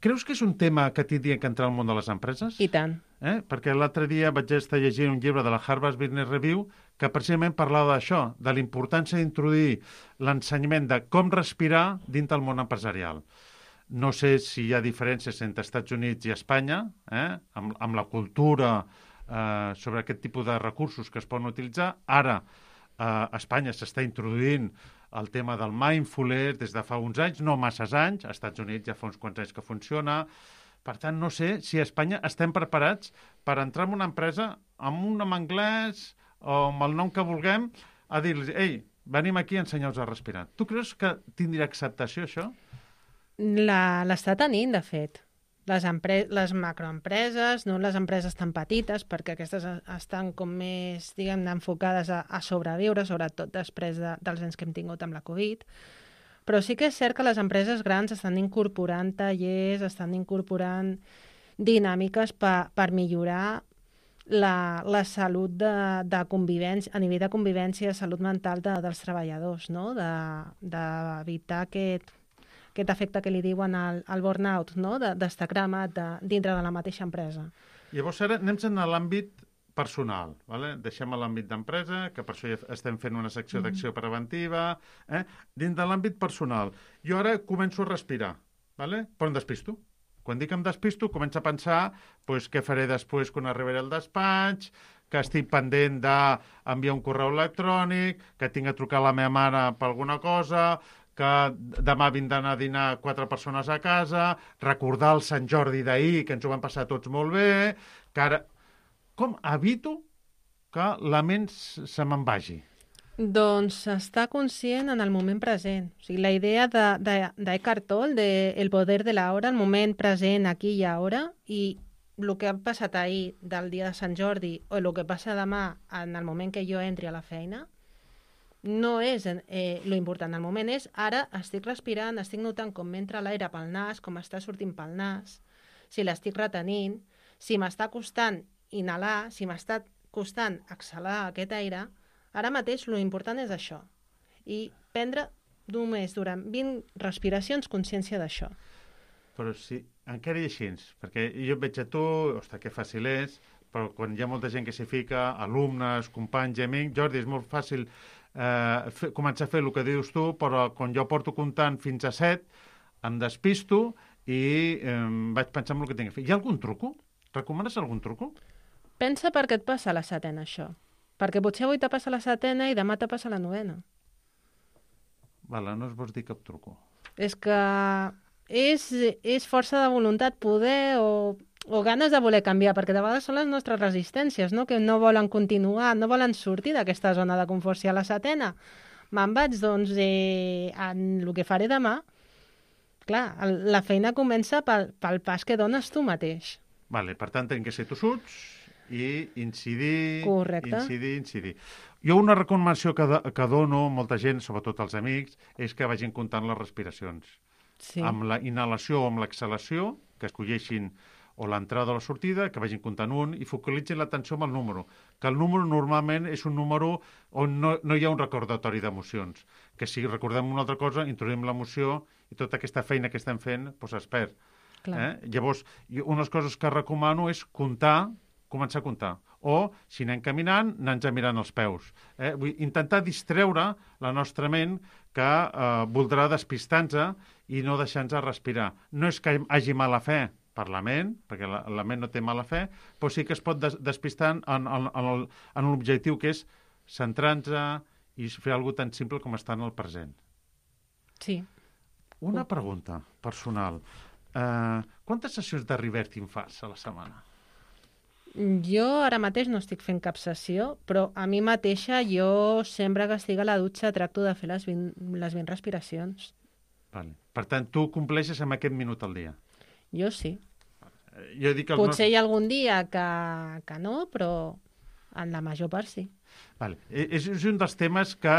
Creus que és un tema que tindria que entrar al món de les empreses? I tant. Perquè l'altre dia vaig estar llegint un llibre de la Harvard Business Review que precisament parlava d'això, de la importància d'introduir l'ensenyament de com respirar dins del món empresarial. No sé si hi ha diferències entre Estats Units i Espanya, amb la cultura sobre aquest tipus de recursos que es poden utilitzar. Ara, a Espanya s'està introduint el tema del mindfulness des de fa uns anys, no masses anys, als Estats Units ja fa uns quants anys que funciona. Per tant, no sé si a Espanya estem preparats per entrar en una empresa amb un nom anglès o amb el nom que vulguem a dir-los, ei, venim aquí a ensenyar-vos a respirar. Tu creus que tindria acceptació, això? L'està tenint, de fet. Les macroempreses, no les empreses tan petites, perquè aquestes estan com més, diguem-ne, enfocades a sobreviure, sobretot després dels anys que hem tingut amb la Covid. Però sí que és cert que les empreses grans estan incorporant tallers, estan incorporant dinàmiques per millorar la salut de convivència, a nivell de convivència, salut mental dels treballadors, no? D'evitar aquest efecte que li diuen el burnout, no? D'estar cremat dintre de la mateixa empresa. Llavors ara anem a l'àmbit personal. Vale? Deixem l'àmbit d'empresa, que per això ja estem fent una secció d'acció preventiva. Dins de l'àmbit personal. Jo ara començo a respirar, vale? Però em despisto. Quan dic em despisto, començo a pensar què faré després quan arribaré al despatx, que estic pendent d'enviar un correu electrònic, que tinc a trucar a la meva mare per alguna cosa, que demà vindran a dinar 4 persones a casa, recordar el Sant Jordi d'ahir, que ens ho vam passar tots molt bé, que ara... Com evito que la ment se me'n vagi? Doncs estar conscient en el moment present. O sigui, la idea d'Eckhart Tolle, de el poder de l'hora, el moment present, aquí i ara, i el que ha passat ahir del dia de Sant Jordi o el que passa demà en el moment que jo entri a la feina, no és lo important. El moment és, ara estic respirant, estic notant com m'entra l'aire pel nas, com està sortint pel nas, si l'estic retenint, si m'està costant inhalar, si m'està costant exhalar aquest aire, ara mateix lo important és això. I prendre només durant 20 respiracions consciència d'això. Però si encara hi així, perquè jo et veig a tu, ostres, que fàcil és, però quan hi ha molta gent que s'hi fica, alumnes, companys i amics, Jordi, és molt fàcil començar a fer el que dius tu, però quan jo porto comptant fins a 7, em despisto i vaig pensar en el que tinc que fer. Hi ha algun truco? Recomanes algun truco? Pensa per què et passa la setena, això. Perquè potser avui te passa la setena i demà te passa la novena. Vale, no es vols dir cap truco. És que és força de voluntat, poder o ganes de voler canviar, perquè de vegades són les nostres resistències, no? Que no volen continuar, no volen sortir d'aquesta zona de confort. Si a la setena me'n vaig, doncs, en el que faré demà, clar, la feina comença pel pas que dones tu mateix. Vale, per tant, tenim que ser tossuts i incidir. Correcte. Incidir. Jo una recomanació que dono a molta gent, sobretot als amics, és que vagin comptant les respiracions. Sí. Amb la inhalació o amb l'exhalació, que escolleixin o l'entrada o la sortida, que vagin comptant un i focalitzin l'atenció amb el número. Que el número normalment és un número on no hi ha un recordatori d'emocions. Que si recordem una altra cosa, introduïm l'emoció i tota aquesta feina que estem fent es perd. Llavors, unes coses que recomano és començar a comptar. O, si anem caminant, anar-nos mirant els peus. Vull intentar distreure la nostra ment que voldrà despistar-nos i no deixar-nos respirar. No és que hagi mala fe per la ment, perquè la ment no té mala fe, però sí que es pot despistar en l'objectiu que és centrar-nos i fer alguna tan simple com estar en el present. Sí. Una pregunta personal. Quantes sessions de reverting fas a la setmana? Jo ara mateix no estic fent cap sessió, però a mi mateixa jo sempre que estic a la dutxa tracto de fer les 20 respiracions. Vale. Per tant, tu compleixes amb aquest minut al dia? Jo sí. Jo dic que Potser hi ha algun dia que no, però en la major part sí. Vale. És un dels temes que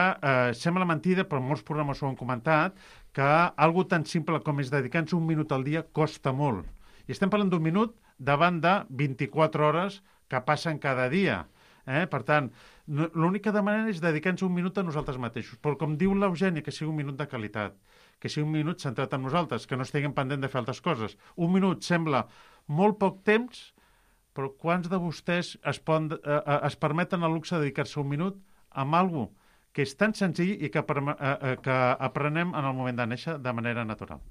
sembla mentida, però molts programes ho han comentat, que algo tan simple com és dedicar-nos un minut al dia costa molt. I estem parlant d'un minut davant de 24 hores que passen cada dia. Per tant, l'únic que demanem és dedicar-nos un minut a nosaltres mateixos. Però com diu l'Eugènia, que sigui un minut de qualitat, que sigui un minut centrat en nosaltres, que no estiguem pendent de fer altres coses. Un minut sembla molt poc temps, però quants de vostès es permeten el luxe de dedicar-se un minut amb alguna cosa que és tan senzill i que aprenem en el moment de néixer de manera natural?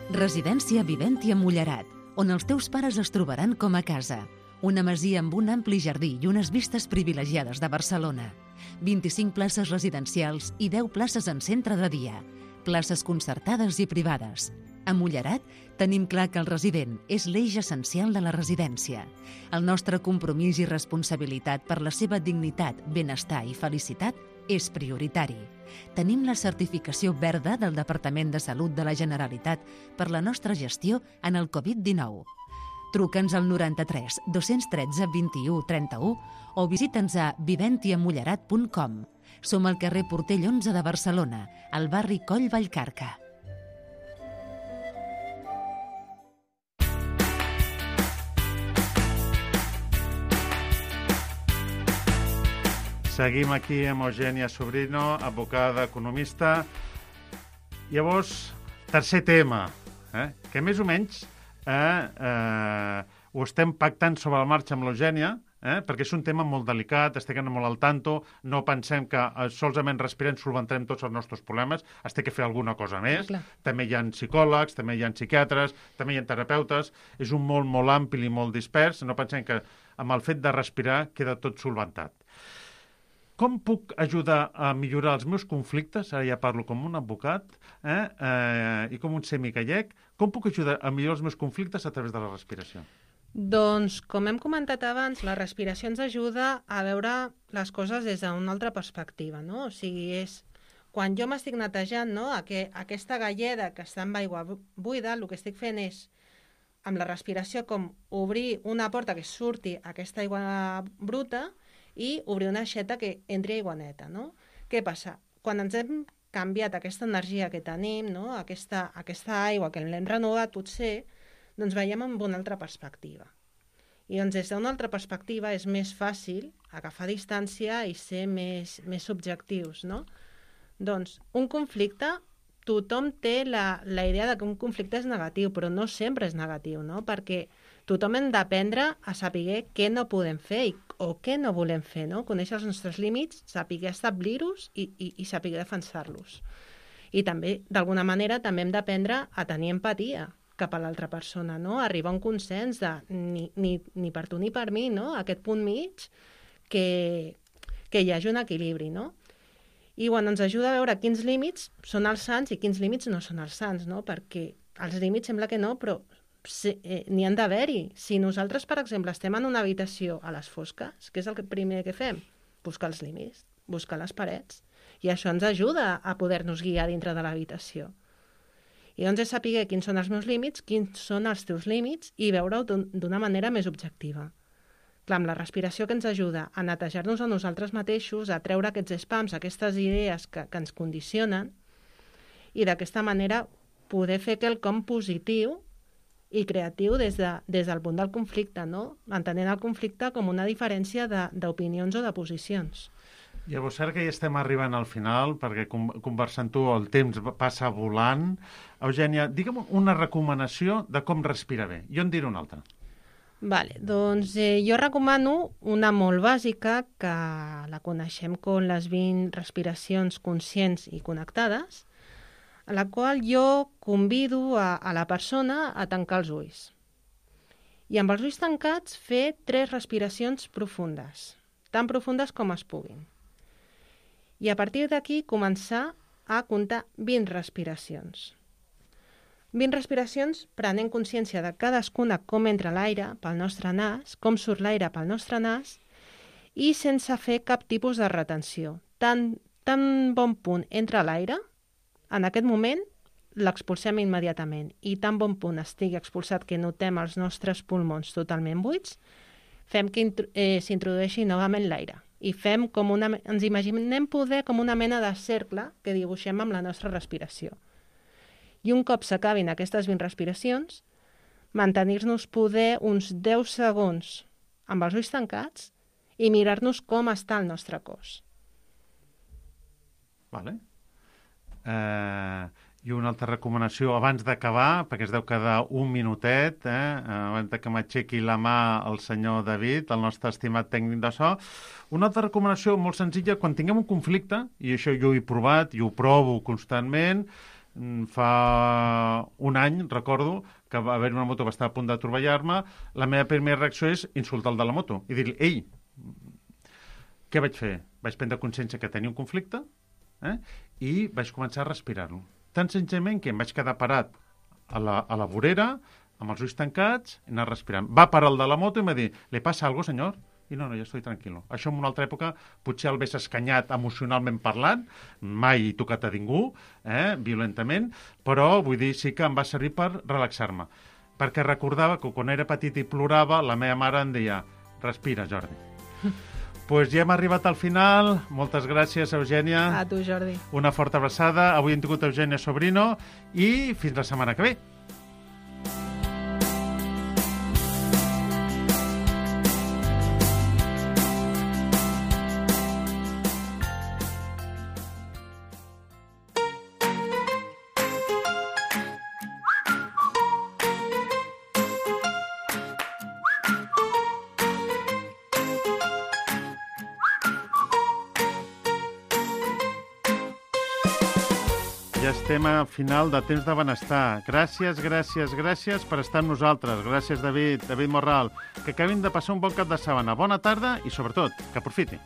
Residència Viventia Mullerat, on els teus pares es trobaran com a casa. Una masia amb un ampli jardí i unes vistes privilegiades de Barcelona. 25 places residencials i 10 places en centre de dia. Places concertades i privades. A Mullerat tenim clar que el resident és l'eix essencial de la residència. El nostre compromís i responsabilitat per la seva dignitat, benestar i felicitat és prioritari. Tenim la certificació verda del Departament de Salut de la Generalitat per la nostra gestió en el Covid-19. Truca'ns al 93 213 21 31 o visita'ns a viventiamullerat.com. Som al carrer Portell 11 de Barcelona, al barri Coll Vallcarca. Seguim aquí amb Eugènia Sobrino, advocada, economista. Llavors, tercer tema, que més o menys ho estem pactant sobre la marxa amb l'Eugènia, perquè és un tema molt delicat, estem molt al tanto, no pensem que solament respirant solventarem tots els nostres problemes, es té que fer alguna cosa més. Clar. També hi ha psicòlegs, també hi ha psiquiatres, també hi ha terapeutes, és un món molt ampli i molt dispers, no pensem que amb el fet de respirar queda tot solventat. Com puc ajudar a millorar els meus conflictes? Ara ja parlo com un advocat i com un semigallec. Com puc ajudar a millorar els meus conflictes a través de la respiració? Doncs, com hem comentat abans, la respiració ens ajuda a veure les coses des d'una altra perspectiva, no? O sigui, és quan jo m'estic netejant, no? Aquesta galleda que està amb aigua buida, el que estic fent és, amb la respiració, com obrir una porta que surti aquesta aigua bruta i obrir una aixeta que entri aigua neta, no? Què passa? Quan ens hem canviat aquesta energia que tenim, no? Aquesta aigua que l'hem renovat, potser, doncs veiem amb una altra perspectiva. I doncs des d'una altra perspectiva és més fàcil agafar distància i ser més subjectius, no? Doncs un conflicte, tothom té la idea de que un conflicte és negatiu, però no sempre és negatiu, no? Perquè tothom hem d'aprendre a saber què no podem fer o què no volem fer, no? Conèixer els nostres límits, saber establir-los i saber defensar-los. I també, d'alguna manera, també hem d'aprendre a tenir empatia cap a l'altra persona, no? Arribar a un consens de ni per tu ni per mi, no? Aquest punt mig que hi hagi un equilibri, no? I bueno, ens ajuda a veure quins límits són els sants i quins límits no són els sants, no? Perquè els límits sembla que no, però n'hi han d'haver-hi. Si nosaltres, per exemple, estem en una habitació a les fosques, què és el primer que fem? Buscar els límits, buscar les parets. I això ens ajuda a poder-nos guiar dintre de l'habitació. I doncs és saber quins són els meus límits, quins són els teus límits i veure-ho d'una manera més objectiva. Clar, amb la respiració que ens ajuda a netejar-nos a nosaltres mateixos, a treure aquests spams, aquestes idees que ens condicionen i d'aquesta manera poder fer quelcom positiu i creatiu des del punt del conflicte, no? Entenent el conflicte com una diferència d'opinions o de posicions. Llavors, ara que ja estem arribant al final, perquè conversant tu el temps passa volant, Eugènia, digue'm una recomanació de com respirar bé. Jo en diré una altra. Vale, doncs jo recomano una molt bàsica, que la coneixem com les 20 respiracions conscients i connectades, a la qual jo convido a la persona a tancar els ulls. I amb els ulls tancats fer 3 respiracions profundes, tan profundes com es puguin. I a partir d'aquí començar a comptar 20 respiracions. 20 respiracions prenent consciència de cadascuna com entra l'aire pel nostre nas, com surt l'aire pel nostre nas i sense fer cap tipus de retenció. Tan bon punt entra l'aire, en aquest moment l'expulsem immediatament i tan bon punt estigui expulsat que notem els nostres pulmons totalment buits, fem que s'introdueixi novament l'aire i fem ens imaginem poder com una mena de cercle que dibuixem amb la nostra respiració. I un cop s'acabin aquestes 20 respiracions, mantenir-nos poder uns 10 segons amb els ulls tancats i mirar-nos com està el nostre cos. Vale. I una altra recomanació abans d'acabar, perquè es deu quedar un minutet, abans que m'aixequi la mà el senyor David, el nostre estimat tècnic de so. Una altra recomanació molt senzilla, quan tinguem un conflicte, i això jo ho he provat i ho provo constantment, fa un any, recordo, que va haver una moto que estava a punt d'atropellar-me, la meva primera reacció és insultar el de la moto i dir-li, ei, què vaig fer? Vaig prendre consciència que tenia un conflicte i vaig començar a respirar-lo. Tan senzillament que em vaig quedar parat a la vorera, amb els ulls tancats, i anar respirant. Va parar el de la moto i em va dir, ¿le pasa algo, senyor? I no, ja estic tranquil·lo. Això en una altra època potser el ves escanyat emocionalment parlant, mai he tocat a ningú, violentament, però vull dir, sí que em va servir per relaxar-me. Perquè recordava que quan era petit i plorava, la meva mare em deia, respira, Jordi. Doncs ja hem arribat al final. Moltes gràcies, Eugènia. A tu, Jordi. Una forta abraçada. Avui hem tingut Eugènia Sobrino i fins la setmana que ve. Ja estem a final de Temps de Benestar. Gràcies per estar amb nosaltres. Gràcies, David Morral. Que acabin de passar un bon cap de setmana. Bona tarda i, sobretot, que aprofiti.